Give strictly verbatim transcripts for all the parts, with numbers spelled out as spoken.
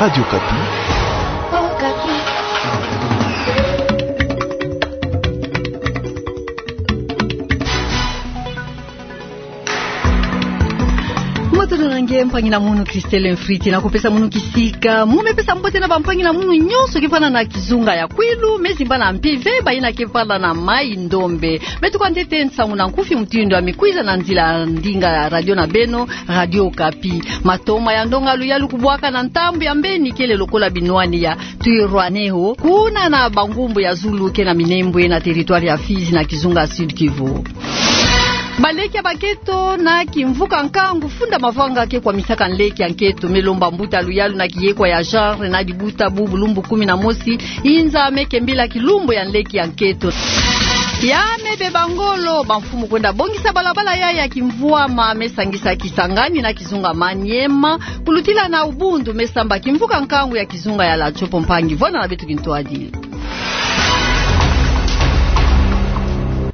Radio Okapi. Matondo na nge mpangi na munu, Christelle Mfriti, na kupesa munu kisika. Mu me pesa mbote na bampangi na munu nyonso ke fwana na kizunga ya Kwilu, me zimbana mpeve, bayina ke fwana na Mai-Ndombe. Beto kwa ntete nsangu na nkufi mutindu ya mikwiza na nzila ndinga ya radio na beno, Radio Okapi. Matoma ya ndonga luyalu kubwaka na ntambu ya mbeni kele lokola binwani ya Twirwaneho, kuna na bangumbu ya zulu ke na Minembwe na territoire ya Fizi na kizunga Sud-Kivu. Baleki ya bakento na kimvuka nkangu funda mavanga ke kwamisaka nleki ya nkento, me lomba mbuta luyalu na kiyekwa ya genre na dibuta bubu lumbu kumi na mosi, inza me kembila kilumbu ya nleki ya nkento. Ya me beba ngolo, bamfumu kwenda bongisa balabala ya, ya kimvwama, me sangisa Kisangani na kizunga Maniema, kulutila na Ubundu, me samba kimvuka nkangu ya kizunga ya Latchopo. Mpangi, vwanda na beto kintwadi.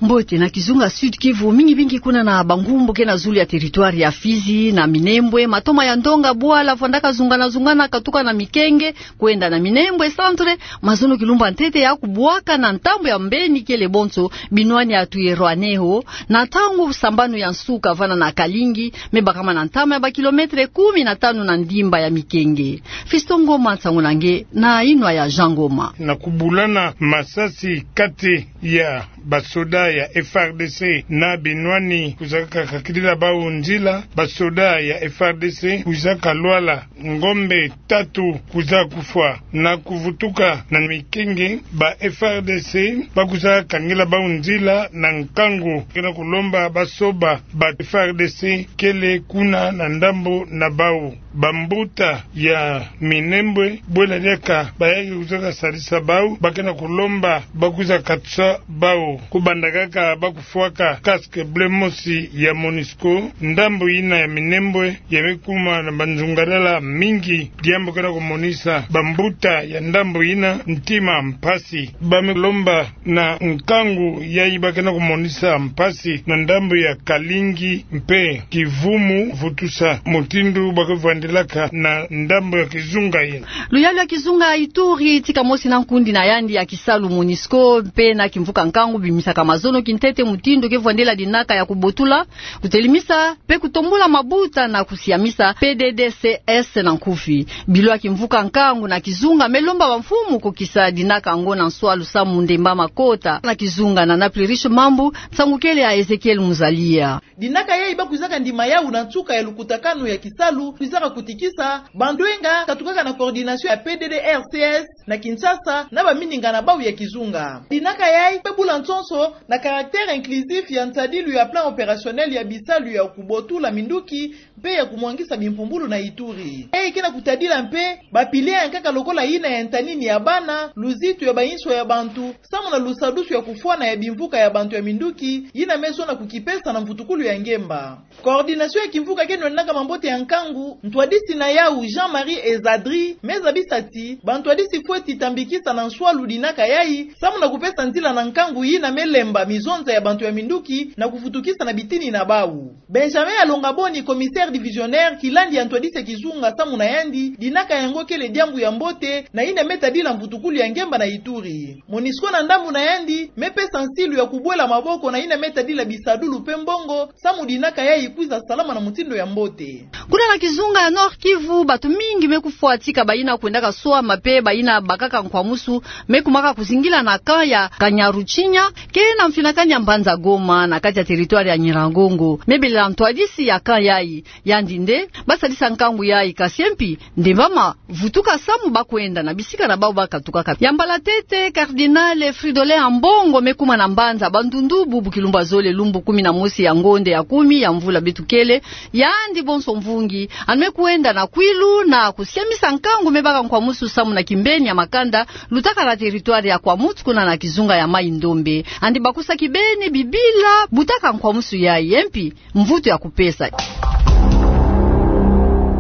Mbote na kizunga Sud-Kivu, mingi mingi kuna na bangumbu ke na zulu ya territoire ya Fizi na Minembwe, matoma ya ndonga bwala vwandaka zungana zungana katuka na Mikenge kwenda na Minembwe Centre, mazono kilumbu ya ntete ya kubwaka na ntambu ya mbeni kele bonso binwani ya Twirwaneho, na ntangu sambanu ya nsuka vwanda na Kalingi, me bakama na ntama ya bakilometre kumi na tanu na ndimba ya Mikenge. Fiston Ngoma, nsangu na nge na inwa ya Jean Ngoma. Na kubulana masasi kati ya basoda ya F R D C na binwani kwizaka kakilila bau nzila, basoda ya F R D C kwizaka lwala ngombe tatu kwiza kufwa. Na kuvutuka na Mikenge, ba F R D C bakwiza kangila bau nzila na nkangu, ke na kulomba basoba ba F R D C kele kuna na ndambu na bau. Bambuta ya Minembwe, bwela diaka bayaya kwizaka sadisa bau, ba ke na kulomba bakwiza katisa bau. Kubanda kaka bakufwaka casque bleu mosi ya Monusco ndambu yina ya Minembwe, ya me kuma na banzungadala mingi, diambu ke na kumonisa bambuta ya ndambu yina ntima mpasi. Ba me lomba na nkangu yayi ba ke na kumonisa mpasi na ndambu ya Kalingi mpe Kivumu, vutusa mutindu ba ke vwandilaka na ndambu ya kizunga yina. Luyalu ya kizunga Ituri, tika mosi na nkundi na yandi ya kisalu Monusco mpe na kimvuka nkangu bimisaka mazono kintete mutindu ke vwandila dinaka ya kubotula, kutelemisa mpe kutombula mabuta na kusiamisa P D D C S na nkufi. Bilo ya kimvuka nkangu na kizunga me lomba bamfumu kukisa dinaka yango na nswalu samu ndemba makota. Na kizunga na Naplirish Mambu, nsangu kele ya Ezekiel Muzalia. Dinaka yayi bakwizaka ndima yau na nsuka ya lukutakanu ya kisalu kwizaka kutikisa bandwenga katukaka na coordination ya P D D R C S na Kinshasa na bamininga na bau ya kizunga. Dinaka yayi pe bula nsonso na caractère inclusif ya nsadilu ya plan opérationnel ya bisalu ya kubotula minduki mpe ya kumwangisa bimpumbulu na Ituri. Yayi ke na kutadila mpe ba piliers ya nkaka lokola yina ya ntanini ya bana, luzitu ya bainso ya bantu, samu na lusadusu ya kufwana ya bimvuka ya bantu ya minduki, yina me zona kukipesa na mvutukulu ya ngemba. Coordination ya kimvuka ke nwendaka mambote ya nkangu, ntwadisi na yau Jean-Marie Ezadri me zabisa ti bantwadisi fweti tambikisa na nswalu dinaka yayi, samu na kupesa nzila na nkangu yina me lemba mizonza ya bantu ya minduki na kuvutukisa na bitini na bau. Benjamin Alonga Boni, commissaire divisionnaire kilandi ya ntwadisi ya kizunga, samu na yandi, dinaka yango kele diambu ya mbote, na yina me tadila mvutukulu ya ngemba na Ituri. Monusco na ndambu na yandi, me pesa nsilu ya kubwela maboko na yina me tadila bisadulu mpe mbongo, samu dinaka yayi kwiza salama na mutindu ya mbote. Kuna na kizunga ya Nord-Kivu, bantu mingi me kufwa tika bayina kwendaka swama mpe bayina bakaka nkwamusu, me kumaka kuzingila na camp ya Kanyaruchinya, ke na mfinakani ya mbanza Goma, na kati ya territoire ya Nyiragongo. Me belela ntwadisi ya camp yayi, yandi nde basadisa nkangu yayi, kasi mpi nde bamavutuka samu bakwenda na bisika na bau bakatukaka. Ya mbala tete, Cardinal Fridolin Ambongo me kuma na mbanza Bandundu bubu kilumbu ya zole, lumbu kumi na mosi ya ngonde ya kumi ya mvula beto kele, yandi bonso mvungi, yandi me kwenda na Kwilu na kusiamisa nkangu me baka nkwamusu samu na kimbeni ya makanda lutaka na territoire ya Kwamouth kuna na kizunga ya Mai-Ndombe. Yandi bakusa kibeni bibila butaka nkwamusu yayi, mpi mvutu ya kupesa.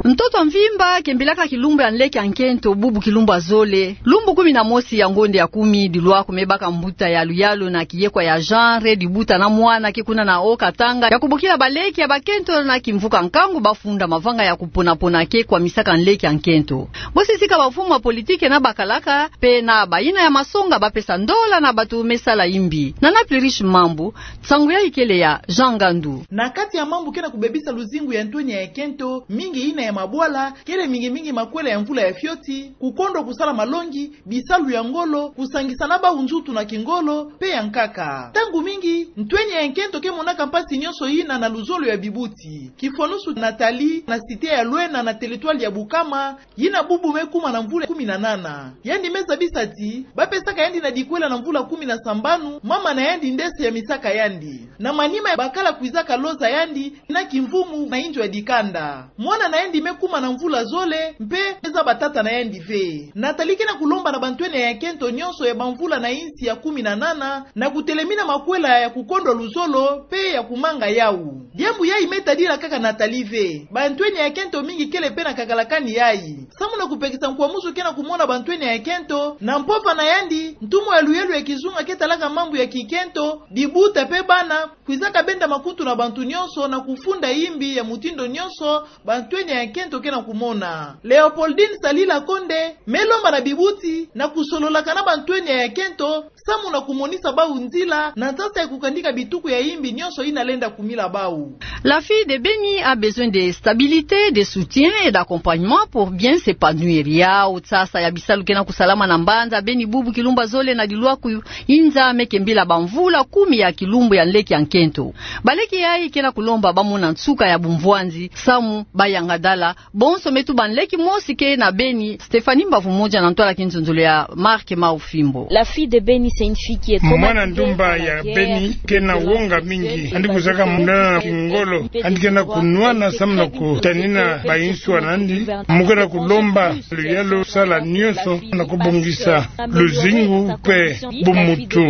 Ntoto mvimba kembilaka kilumbu ya nleki ya nkento bubu kilumbu ya zole, lumbu kumi na mosi ya ngonde ya kumi, dilwaku me baka mbuta ya luyalu na kiyekwa ya genre, dibuta na mwana ke kuna na Haut-Katanga, ya kubokila baleki ya bakento na kimvuka nkangu bafunda mavanga ya kupona-pona ke kwamisaka nleki ya nkento. Bosisika bafumu ya politiki na bakalaka, pe na bayina ya masonga bapesa ndola na bato me sala imbi. Nana Plurish Mambu, nsangu yayi kele ya Jean Ngandu. Na kati ya mambu ke na kubebisa luzingu ya ntwenia ya kento, mingi yina ya mabwala, kele mingi mingi makwela ya mvula ya fioti, kukondwa kusala malongi, bisalu ya ngolo, kusangisa na bau nzutu na kingolo, pe ya nkaka. Ntangu mingi, ntwenia ya kento ke monaka mpasi nyonso yina na luzolo ya bibuti. Kifonusu Nathalie, na cité ya Luena na territoire ya Bukama, yina bubu me kuma na mvula kumi na nana. Yandi me zabisa ti, bapesaka yandi na dikwela na mvula kumi na sambanu, mama na yandi nde se ya misaka yandi. Na manima ya bakala kwizaka loza yandi, na kimvumu na inzo ya dikanda. Mwana na yandi me kuma na mvula zole, mpe me zaba tata na yandi ve. Nathalie ke na kulomba na bantwenia ya kento nyonso ya bamvula na insi ya kumi na nana, na kutelemina makwela ya kukondwa luzolo, pe ya kumanga yau. Diambu yayi me tadila kaka Nathalie ve. Bantwenia ya kento mingi kele pe na kakalakani yayi. Samu na kupekisa nkwamusu ke na kumona bantwenia ya kento, na mpova na yandi, ntumwa ya luyalu ya kizunga ke talaka mambu ya kikento, dibuta pe bana, kwizaka benda makutu na bantu nyonso na kufunda imbi ya mutindo nyonso, bantwenia ya kento ke na kumona. Léopoldine Salila Konde, me lomba na bibuti, na kusololaka na bantwenia ya kento, samu na kumonisa bau nzila, na nsasa ya kukandika bituku ya imbi nyonso yina lenda kumila bau. La fille de Beni a besoin de stabilité, de soutien et d'accompagnement pour bien s'épanouir. Yau nsasa ya bisalu ke na kusalama na mbanza Beni bubu kilumbu zole na dilwaku inza me ke mbila bamvula kumi ya kilumbu ya nleki ya nkento. Baleki yayi ke na kulomba bamona nsuka ya bumvwanzi, samu bayangadala, bonso me tuba nleki mosi ke na Beni, Stéphanie Mbavu Moja na ntwala kinzonzolo ya Marc Maufimbo. La fille de Beni, c'est une fille qui est traumatisée par la guerre, qui pleure, qui pleure. Mwana ndumba ya Beni ke na wonga mingi, yandi kwizaka munana na kingolo, yandi ke na kunwana samu na kutanina bayinswa nandi, mu ke na kulomba luyalu sala nyonso na kubongisa luzingu pe bumuntu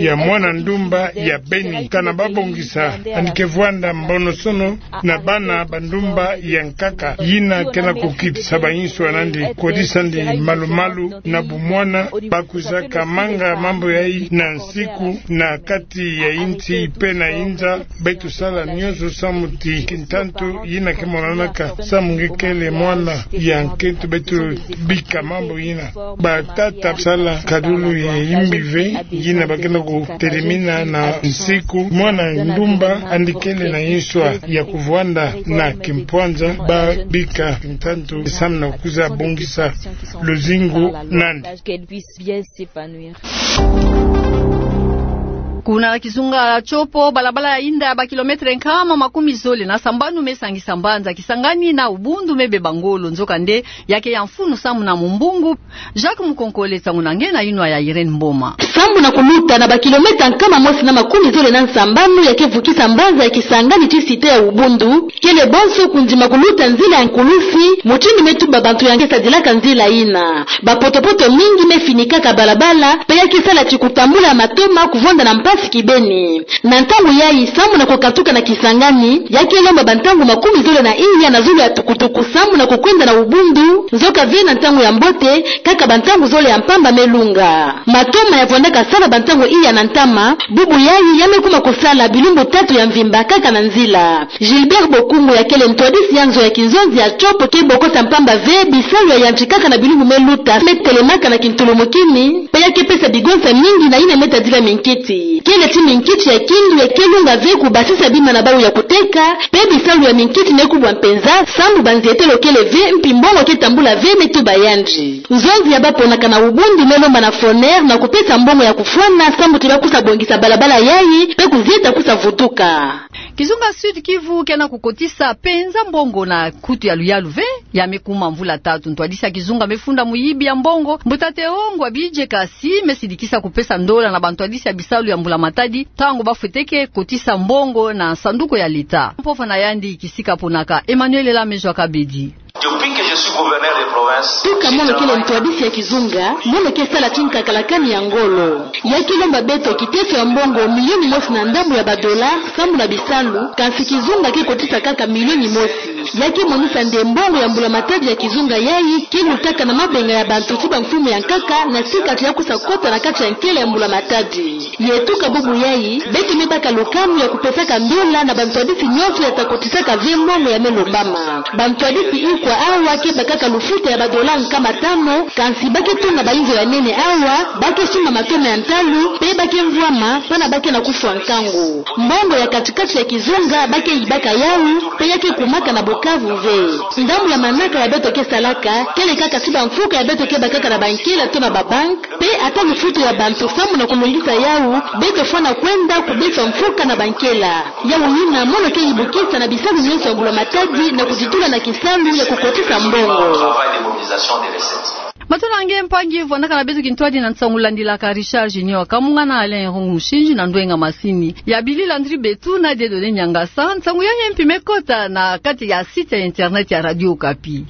ya mwana ndumba ya Beni, kana babongisa, yandi ke vwanda mbonosono na bana ba ndumba ya nkaka, yina ke na kukitisa bayinswa nandi, kodisa ndi malumalu na bumwana, bakwizaka manga mambu yayi na nsiku na kati ya insi pe na inza, beto sala nyonso samu ti kintantu yina ke monanaka samu nge kele mwana ya nkento beto bika mambu yina. Batata sala kadulu ya imbi ve, yina ba ke na kutelemina na nsiku, mwana ndumba yandi kele na yinswa ya kuvwanda na kimpwanza, babika kintantu samu na kwiza bongisa luzingu nandi. Kuna kizunga Tshopo, balabala ya yinda ya ba kilomètre nkama makumi zole na sambanu me sangisa mbanza Kisangani na Ubundu me beba ngolo, nzokande ya ke ya mfunu samu na mumbungu. Jacques Mukonkole, nsangu na nge na yinwa ya Irène Mboma. Samu na kuluta na ba kilomètre nkama mosi na makumi zole na sambanu ya ke vukisa mbanza ya Kisangani tii cité ya Ubundu, kele bonso kundima kuluta nzila ya nkulusi, mutindu me tuba bantu ya ke sadilaka nzila yina. Bapotopoto mingi me finikaka balabala, pe ya ke sala ti kutambula matoma kuvwanda na mpasi kibeni. Na ntangu yayi, samu na kukatuka na Kisangani, ya ke lomba bantangu makumi zole na iya na zulu ya tukutuku samu na kukwenda na Ubundu, nzoka ve na ntangu ya mbote, kaka bantangu zole ya mpamba me lunga. Matoma ya vwandaka sala bantangu iya na ntama, bubu yayi ya me kuma kusala bilumbu tatu ya mvimba kaka na nzila. Gilbert Bokungu, ya kele ntwadisi ya nzo ya kinzonzi ya Tshopo, ke bokosa mpamba ve bisalu ya yantikaka na bilumbu me luta, me telemaka na kintulumukini, pe ya ke pesa bigonsa mingi na yina me tadila minkiti. Kele ti minkiti ya kindu ya ke lunga ve kubasisa bima na bau ya kuteka, pe bisalu ya minkiti me kubwa mpenza, samu banzietelo kele ve, mpi mbongo ke tambula ve, me tuba yandi. Nzonzi ya baponaka na Ubundu me lomba na Foner na kupesa mbongo ya kufwana, samu ti ba kusa bongisa balabala yayi, pe kuzieta kusa vutuka. Kizunga Sud Kivu ke na kukotisa mpenza mbongo na nkutu ya luyalu ve, ya me kuma mvula tatu. Ntwadisi ya kizunga me funda muyibi ya mbongo, Mbuta Théo Ngwabidje, kasi me sidikisa kupesa ndola na bantwadisi ya bisalu ya mbula matadi, ntangu ba fweteke kotisa mbongo na sanduku ya l'État. Mpova na yandi kisika ponaka, Emmanuel Lamejwa Kabedi. Depuis que je suis gouverneur de province, toka mono kele ntwadisi ya kizunga, mono ke sala ti nkakalakani ya ngolo. Ya ke lomba beto kiteso ya mbongo milioni mosi na ndambu ya ba dollars, samu na bisalu, kasi kizunga ke kotisa kaka milioni mosi. Ya ke monisa nde mbongo ya mbula-matadi ya kizunga yayi ke lutaka na mabenga ya bantu ti bamfumu ya nkaka na ti kati ya kusa kota na kati ya nkele ya mbula-matadi. Ye tuka bubu yayi, beto me baka lukamu ya kupesaka ndola na bantwadisi nyonso ya ta kotisaka ve mbongo ya me lombama. Bantwadisi ikwa awa ke bakaka lufuta ya badola nkama tano, kansi ba ke tunga bayinzo ya nene awa, ba ke sumba matoma ya ntalu, pe ba ke mvwama, pana ba ke na kufwa nkangu. Mbongo ya kati-kati ya kizunga, ba ke yibaka yawu, pe ya ke kumaka na Bukavu ve. Ndambu ya manaka ya beto ke salaka, kele kaka ti bamfuka ya beto ke bakaka na bankela to na babank, pe ata lufutu ya bantu sambu na kulungisa yawu, beto fwana kwenda kubesa mfuka na bankela. Yawu yina, mono ke yibukisa na bisalu nyonso ya mbula-matadi na kuditula na kisalu ya kukotisa mbongo. Matondo na nge mpangi, vwandaka na beto kintwadi na nsangu landilaka. Richard Junior Kamunga na Alain Irungu Mushindji na ndwenga masini. Ya bili Landry Betu na Dieudonné Niangasa, nsangu ya nge mpi me kota na kati ya site ya internet ya Radio Okapi.